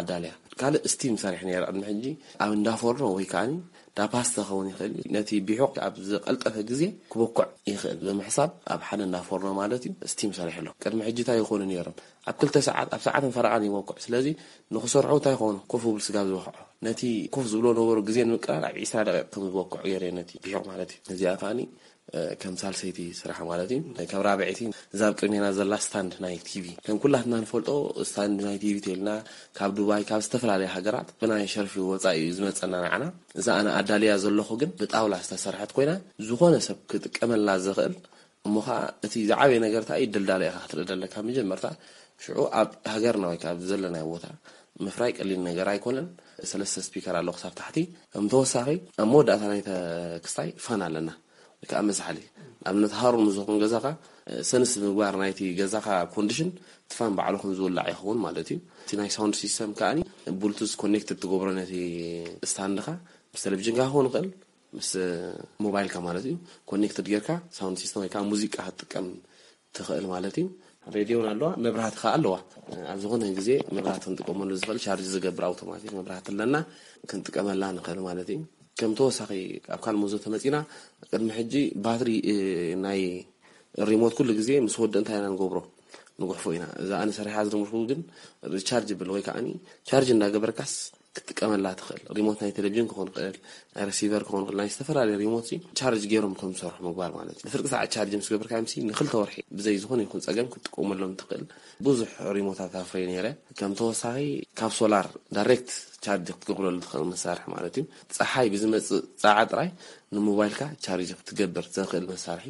ኣዳልያ። ካልእ ስቲም ሰሪሕ ነይረ ቅድሚ ሕጂ ኣብ እንዳ ፎርኖ ወይ ከኣ እንዳ ፓስታ ክኸውን ይኽእል እዩ። ነቲ ቢሑቕ ኣብ ዝቐልጠፈ ግዜ ክበኩዕ ይኽእል ብምሕሳብ ኣብ ሓደ እንዳ ፎርኖ ማለት እዩ ስቲም ሰሪሕ ኣሎ። ቅድሚ ሕጂ እንታይ ይኾኑ ነይሮም? ኣብ ክልተ ሰዓት፣ ኣብ ሰዓትን ፈረቓን ይበኩዕ። ስለዚ ንኽሰርሑ እንታይ ይኾኑ? ኮፍ ክብል ስጋብ ዝበኽዖ። ነቲ ኮፍ ዝብሎ ነበሩ ግዜ ንምቅላል ኣብ ዒስራ ደቂቕ ከም ዝበኩዕ ገይረ ነቲ ቢሑቕ ማለት እዩ። እዚኣ ከኣ ከም ሳልሰይቲ ስራሕ ማለት እዩ። ካብ ራብዐይቲ እዛ ኣብ ቅድሜና ዘላ ስታንድ ናይ ቲቪ። ከም ኩላትና ንፈልጦ ስታንድ ናይ ቲቪ ተልና ካብ ዱባይ፣ ካብ ዝተፈላለያ ሃገራት ብናይ ሸርፊ ወጻኢ እዩ ዝመጸና ንዓና። እዛ ኣነ ኣዳልያ ዘለኹ ግን ብጣውላ ዝተሰርሐት ኮይና ዝኾነ ሰብ ክጥቀመላ ዝኽእል እሞ ኸኣ እቲ ዝዓበየ ነገር እንታይ እዩ? ድልዳለ ኢኻ ክትርኢ ዘለካ መጀመርታ። ሽዑ ኣብ ሃገርና ወይ ከኣ ኣብ ዘለናዮ ቦታ ምፍራይ ቀሊል ነገር ኣይኮነን። ሰለስተ ስፒከር ኣሎ ክሳብ ታሕቲ። ከም ተወሳኺ ኣብ መወዳእታ ናይቲ ክስታይ ፋን ኣለና። ወይ ከኣ መዝሓሊ። ንኣብነት ሃሩር ምስ ዝኾን ገዛኻ ሰንስ ምግባር ናይቲ ገዛኻ ኮንዲሽን እቲ ፋን ባዕሉ ከም ዝውላዕ ይኸውን ማለት እዩ። እቲ ናይ ሳውንድ ሲስተም ከኣ ብሉቱዝ ኮኔክትድ ትገብሮ ነቲ ስታንድኻ ምስ ቴሌቪዥንካ ክኸውን ይኽእል። ምስ ሞባይልካ ማለት እዩ ኮኔክትድ ጌርካ ሳውንድ ሲስተም ወይ ከዓ ሙዚቃ ክትጥቀም ትኽእል ማለት እዩ። ሬድዮን ኣለዋ፣ መብራህቲ ከዓ ኣለዋ። ኣብ ዝኾነ ግዜ መብራህቲ ክንጥቀመሉ ዝኽእል ቻርጅ ዝገብር ኣውቶማቲክ መብራህቲ ኣለና፣ ክንጥቀመላ ንኽእል ማለት እዩ። ከም ተወሳኺ ኣብ ካልእ መዞ ተመፂና፣ ቅድሚ ሕጂ ባትሪ ናይ ሪሞት ኩሉ ግዜ ምስ ወደ እንታይ ኢና ንገብሮ? ንጉሕፎ ኢና። እዛ ኣነ ሰሪሓ ዝደመርኩ ግን ሪቻርጅብል ወይ ከዓ ቻርጅ እንዳገበርካስ ክትጥቀመላ ትኽእል። ሪሞት ናይ ቴሌቪዥን ክኾን ይኽእል፣ ናይ ረሲቨር ክኾን ይኽእል፣ ናይ ዝተፈላለዩ ሪሞት ሲ ቻርጅ ገይሮም ከም ዝሰርሑ ምግባር ማለት እዩ። ንፍርቂ ሰዓት ቻርጅ ምስ ገበርካ ሲ ንክልተ ወርሒ ብዘይ ዝኾነ ይኹን ጸገም ክትጥቀመሎም ትኽእል። ብዙሕ ሪሞታት ኣፍረየ ነይረ። ከም ተወሳኺ ካብ ሶላር ዳይሬክት ቻርጅ ክትገብረሉ ትኽእል መሳርሒ ማለት እዩ። ጸሓይ ብዝመጽእ ጸዓ ጥራይ ንሞባይልካ ቻርጅ ክትገብር ዘኽእል መሳርሒ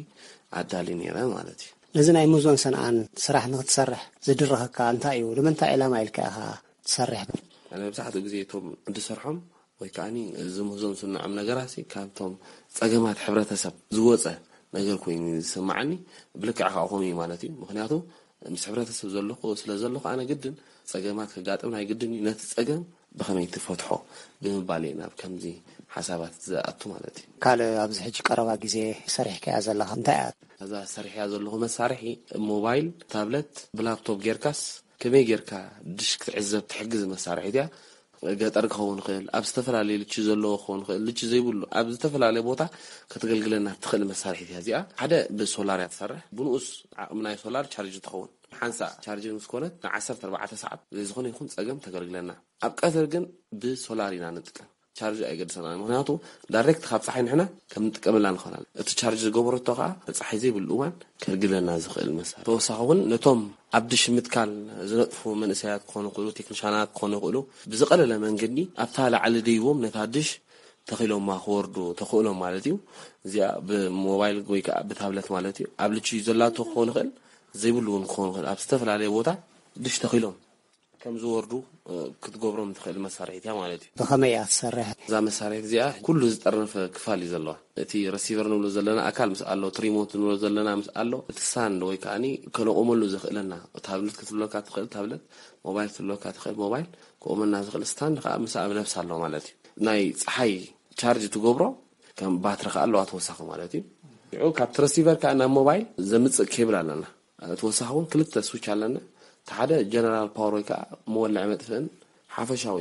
ኣዳሊ ነይረ ማለት እዩ። ነዚ ናይ ምህዞን ሰንዓን ስራሕ ንኽትሰርሕ ዝድርኸካ እንታይ እዩ? ንምንታይ ዕላማ ኢልካ ኢኻ ትሰርሕ? ኣነ መብዛሕትኡ ግዜ እቶም ዝሰርሖም ወይ ከዓኒ እዚ ምህዞን ስንዖም ነገራት ሲ ካብቶም ጸገማት ሕብረተሰብ ዝወጸ ነገር ኮይኑ ዝስምዓኒ። ብልክዕ ከዓ ከምኡ እዩ ማለት እዩ። ምክንያቱ ምስ ሕብረተሰብ ዘለኹ ስለ ዘለኹ ኣነ ግድን ጸገማት ከጋጥም ናይ ግድን እዩ። ነቲ ጸገም ብኸመይ ትፈትሖ ብምባል እየ ናብ ከምዚ ሓሳባት ዝኣቱ ማለት እዩ። ካልእ ኣብዚ ሕጂ ቀረባ ግዜ ሰሪሕካያ ዘለኻ እንታይ እያ? እዛ ሰሪሕያ ዘለኹ መሳርሒ ሞባይል፣ ታብለት፣ ብላፕቶፕ ጌርካስ ከመይ ጌርካ ድሽ ክትዕዘብ ትሕግዝ መሳርሒት እያ። ገጠር ክኸውን ይኽእል፣ ኣብ ዝተፈላለዩ ልቺ ዘለዎ ክኸውን ይኽእል፣ ልቺ ዘይብሉ ኣብ ዝተፈላለየ ቦታ ከተገልግለና ትኽእል መሳርሒት እያ እዚኣ። ሓደ ብሶላር እያ ትሰርሕ። ብንኡስ ዓቕሚ ናይ ሶላር ቻርጅ ትኸውን። ሓንሳእ ቻርጅ ምስ ኮነት ንዓሰርተ ኣርባዕተ ሰዓት ዘይዝኾነ ይኹን ጸገም ተገልግለና። ኣብ ቀትር ግን ብሶላር ኢና ንጥቀም። ቻርጅ ኣይገድሰና። ምክንያቱ ዳይሬክት ካብ ጸሓይ ንሕና ከም ንጥቀመላ ንኽእል። እቲ ቻርጅ ዝገበረቶ ከዓ ጸሓይ ዘይብሉ እዋን ከርግለና ዝኽእል መሳርሒ። ተወሳኺ እውን ነቶም ኣብ ድሽ ምትካል ዝነጥፉ መንእሰያት ክኾኑ ይኽእሉ፣ ቴክኒሻናት ክኾኑ ይኽእሉ፣ ብዝቐለለ መንገዲ ኣብታ ላዕሊ ደይቦም ነታ ድሽ ተኺሎማ ክወርዱ ተኽእሎም ማለት እዩ። እዚኣ ብሞባይል ወይ ከዓ ብታብለት ማለት እዩ። ኣብ ልቺ ዘላቶ ክኾን ይኽእል፣ ዘይብሉ እውን ክኾን ይኽእል። ኣብ ዝተፈላለየ ቦታ ድሽ ተኺሎም ከም ዝወርዱ ክትገብሮም ትኽእል መሳርሒት እያ ማለት እዩ። ብኸመይ እያ ትሰርሕ? እዛ መሳርሒት እዚኣ ኩሉ ዝጠርነፈ ክፋል እዩ ዘለዋ። እቲ ረሲቨር ንብሎ ዘለና ኣካል ምስ ኣሎ፣ እቲ ሪሞት ንብሎ ዘለና ምስ ኣሎ፣ እቲ ስታንድ ወይ ከዓኒ ከነቆመሉ ዘኽእለና፣ ታብለት ክትብለካ ትኽእል ታብለት፣ ሞባይል ክትብለካ ትኽእል ሞባይል፣ ክቆመልና ዝኽእል ስታንድ ከዓ ምስ ኣብ ነብስ ኣሎ ማለት እዩ። ናይ ፀሓይ ቻርጅ ትገብሮ ከም ባትሪ ከዓ ኣለዋ ተወሳኺ ማለት እዩ። ሽዑ ካብቲ ረሲቨር ከዓ ናብ ሞባይል ዘምፅእ ኬብል ኣለና። ተወሳኺ እውን ክልተ ስዊች ኣለና። እቲ ሓደ ጀነራል ፓወር ወይ ከዓ መወልዒ መጥፍእን ሓፈሻዊ፣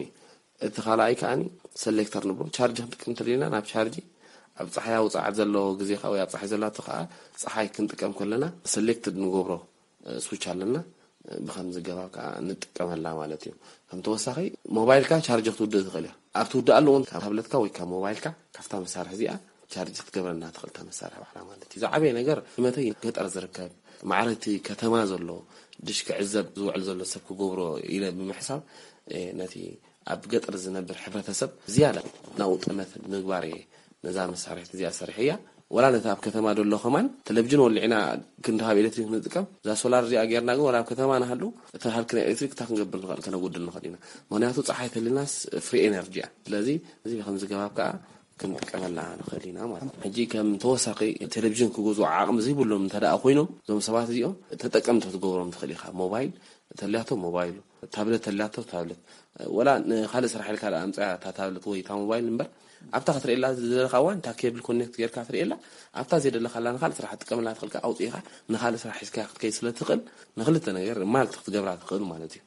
እቲ ካልኣይ ከዓኒ ሰሌክተር ንብሎ። ቻርጅ ክንጥቀም እንተደሊና ናብ ቻርጅ ኣብ ፀሓያዊ ፀዓት ዘለዎ ግዜ ከዓ ወይ ኣብ ፀሓይ ዘላቶ ከዓ ፀሓይ ክንጥቀም ከለና ሰሌክትድ ንገብሮ ስዊች ኣለና። ብኸምዚ ገባብ ከዓ ንጥቀመላ ማለት እዩ። ከም ተወሳኺ ሞባይልካ ቻርጅ ክትውድእ ትኽእል እያ። ኣብ ትውድኣሉ እውን ካብ ታብለትካ ወይ ካብ ሞባይልካ ካብታ መሳርሒ እዚኣ ቻርጅ ክትገብረና ትኽእል እታ መሳርሒ ባዕላ ማለት እዩ። ዝዓበየ ነገር እመተይ ገጠር ዝርከብ ማዕረ እቲ ከተማ ዘሎ ድሽ ክዕዘብ ዝውዕል ዘሎ ሰብ ክገብሮ ኢለ ብምሕሳብ ነቲ ኣብ ገጠር ዝነብር ሕብረተሰብ ዝያዳ ናብኡ ጠመት ምግባር እየ ነዛ መሳርሒት እዚኣ ሰሪሐያ። ወላ ነቲ ኣብ ከተማ ዘሎ ከማን ቴሌቪዥን ወሊዕና ክንድሃብ ኤሌክትሪክ ንጥቀም፣ እዛ ሶላር እዚኣ ጌርና ግን ወላ ኣብ ከተማ ንሃሉ እቲ ሃልኪ ናይ ኤሌክትሪክ እታ ክንገብር ንኽእል ከነጉድል ንኽእል ኢና። ምክንያቱ ፀሓይ ተልናስ ፍሪ ኤነርጂ እያ። ስለዚ እዚ ብከምዚ ገባብ ከዓ ክንጥቀመላ ንኽእል ኢና ማለት እዩ። ሕጂ ከም ተወሳኺ ቴሌቪዥን ክገዝኡ ዓቕሚ ዘይብሎም እንተ ደኣ ኮይኖም እዞም ሰባት እዚኦም ተጠቀምቲ ክትገብሮም ትኽእል ኢኻ። ሞባይል ተልያቶ ሞባይሉ፣ ታብለት ተልያቶ ታብለት። ወላ ንኻልእ ስራሕ ኢልካ ደኣ ኣምፅያ እታ ታብለት ወይ እታ ሞባይል እምበር ኣብታ ክትርእየላ ዝደለኻ እዋን እታ ኬብል ኮኔክት ጌርካ ትርእየላ። ኣብታ ዘይደለኻላ ንኻልእ ስራሕ ትጥቀመላ ትኽእልካ ኣውፂእኻ ንኻልእ ስራሕ ሒዝካያ ክትከይድ ስለ ትኽእል ንክልተ ነገር ማልቲ ክትገብራ ትኽእል ማለት እዩ።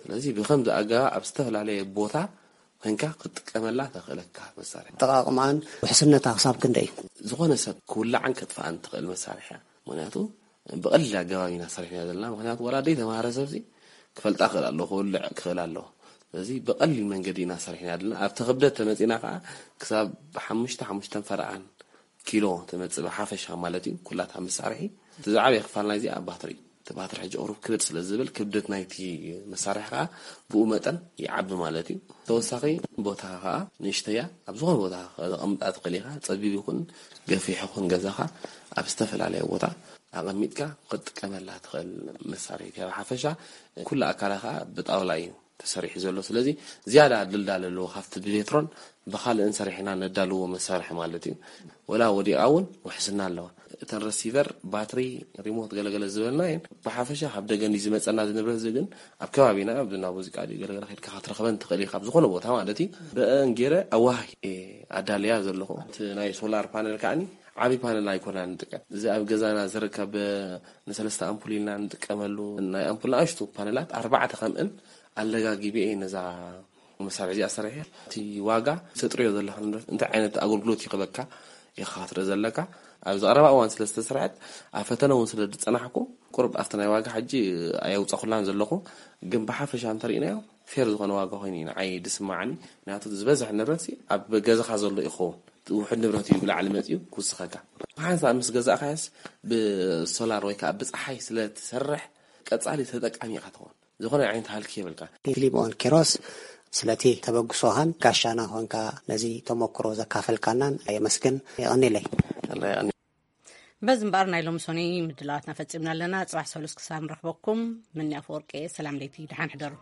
ስለዚ ብኸምዚ ኣገባብ ኣብ ዝተፈላለየ ቦታ ኮንካ ክትጥቀመላ ተኽእለካ መሳርሒ። ኣጠቓቕማን ውሕስነታ ክሳብ ክንደይ እዩ? ዝኾነ ሰብ ክውላዕን ከጥፍኣን ትኽእል መሳርሒ እያ። ምክንያቱ ብቐሊል ኣገባብ ኢና ሰሪሕና ዘለና። ምክንያቱ ወላ ደይ ተማሃረ ሰብሲ ክፈልጣ ክእል ኣለዎ፣ ክውልዕ ክእል ኣለዎ። ስለዚ ብቐሊል መንገዲ ኢና ሰሪሕና ዘለና። ኣብቲ ክብደት ተመፂና ከዓ ክሳብ ሓሙሽተ ሓሙሽተን ፈረቓን ኪሎ ትመፅእ ብሓፈሻ ማለት እዩ። ኩላታ መሳርሒ እቲ ዝዓበየ ክፋል ናይዚ ኣብ ባትሪ እዩ። እቲ ባትሪ ሕጂ ቁሩብ ክብድ ስለ ዝብል ክብደት ናይቲ መሳርሒ ከዓ ብኡ መጠን ይዓቢ ማለት እዩ። ተወሳኺ ቦታ ከዓ ንእሽተያ ኣብ ዝኾነ ቦታ ከቐምጣ ትኽእል ኢኻ። ፀቢብ ይኹን ገፊሕ ይኹን ገዛኻ ኣብ ዝተፈላለየ ቦታ ኣቐሚጥካ ክትጥቀመላ ትኽእል መሳርሒት እያ። ብሓፈሻ ኩሉ ኣካላ ከዓ ብጣውላ እዩ ተሰሪሑ ዘሎ። ስለዚ ዝያዳ ድልዳለ ኣለዎ ካብቲ ብቤትሮን ብኻልእን ሰሪሕና ነዳልዎ መሳርሒ ማለት እዩ። ወላ ወዲቓ እውን ውሕስና ኣለዋ። እተን ረሲቨር፣ ባትሪ፣ ሪሞት ገለገለ ዝበልና እየን ብሓፈሻ ካብ ደገ እንዲ ዝመፀና ዝንብረት እዚ ግን ኣብ ከባቢና ኣብ እንዳ ሙዚቃ ድዩ ገለገለ ከድካ ክትረኽበን ትኽእል ኢኻ ኣብ ዝኾነ ቦታ ማለት እዩ። ብአን ገይረ ኣዋህ ኣዳልያ ዘለኹ እቲ ናይ ሶላር ፓነል ከዓኒ ዓብዪ ፓነል ኣይኮና ንጥቀም። እዚ ኣብ ገዛና ዝርከብ ንሰለስተ ኣምፑል ኢልና ንጥቀመሉ ናይ ኣምፑል ንኣሽቱ ፓነላት ኣርባዕተ ከምእን ኣለጋጊበ እየ ነዛ መሳርሒ እዚኣ ሰሪሐ። እቲ ዋጋ ተጥርዮ ዘለካ ንብረት እንታይ ዓይነት ኣገልግሎት ይኽበካ ኢኻ ክትርኢ ዘለካ። ኣብ ዝቐረባ እዋን ስለ ዝተሰርሐት ኣብ ፈተነ እውን ስለ ዝፀናሕኩ ቁሩብ ኣብቲ ናይ ዋጋ ሕጂ ኣየውፀኹላን ዘለኹ። ግን ብሓፈሻ እንተሪእናዮ ፌር ዝኾነ ዋጋ ኮይኑ እዩ ንዓይ ዝስማዓኒ። ምክንያቱ ዝበዝሕ ንብረት ኣብ ገዛኻ ዘሎ ይኸውን። ውሑድ ንብረት እዩ ብላዕሊ መፅዩ ክውስኸካ። ብሓንሳብ ምስ ገዛእካዮስ ብሶላር ወይ ከዓ ብፀሓይ ስለ ትሰርሕ ቀፃሊ ተጠቃሚ ኢኻ ትኸውን። ዝኾነ ዓይነት ሃልኪ የብልካ። ፊሊሞን ኪሮስ ስለቲ ተበግሶኻን ጋሻና ኾንካ ነዚ ተመክሮ ዘካፈልካናን የመስግን። የቐኒለይ። በዚ እምበኣር ናይ ሎሚ ሰኑይ ምድላዋትና ፈጺምና ኣለና። ጽባሕ ሰሉስ ክሳብ ንረኽበኩም፣ ምኒ ኣፈወርቂ፣ ሰላም ለይቲ፣ ደሓን ሕደሩ።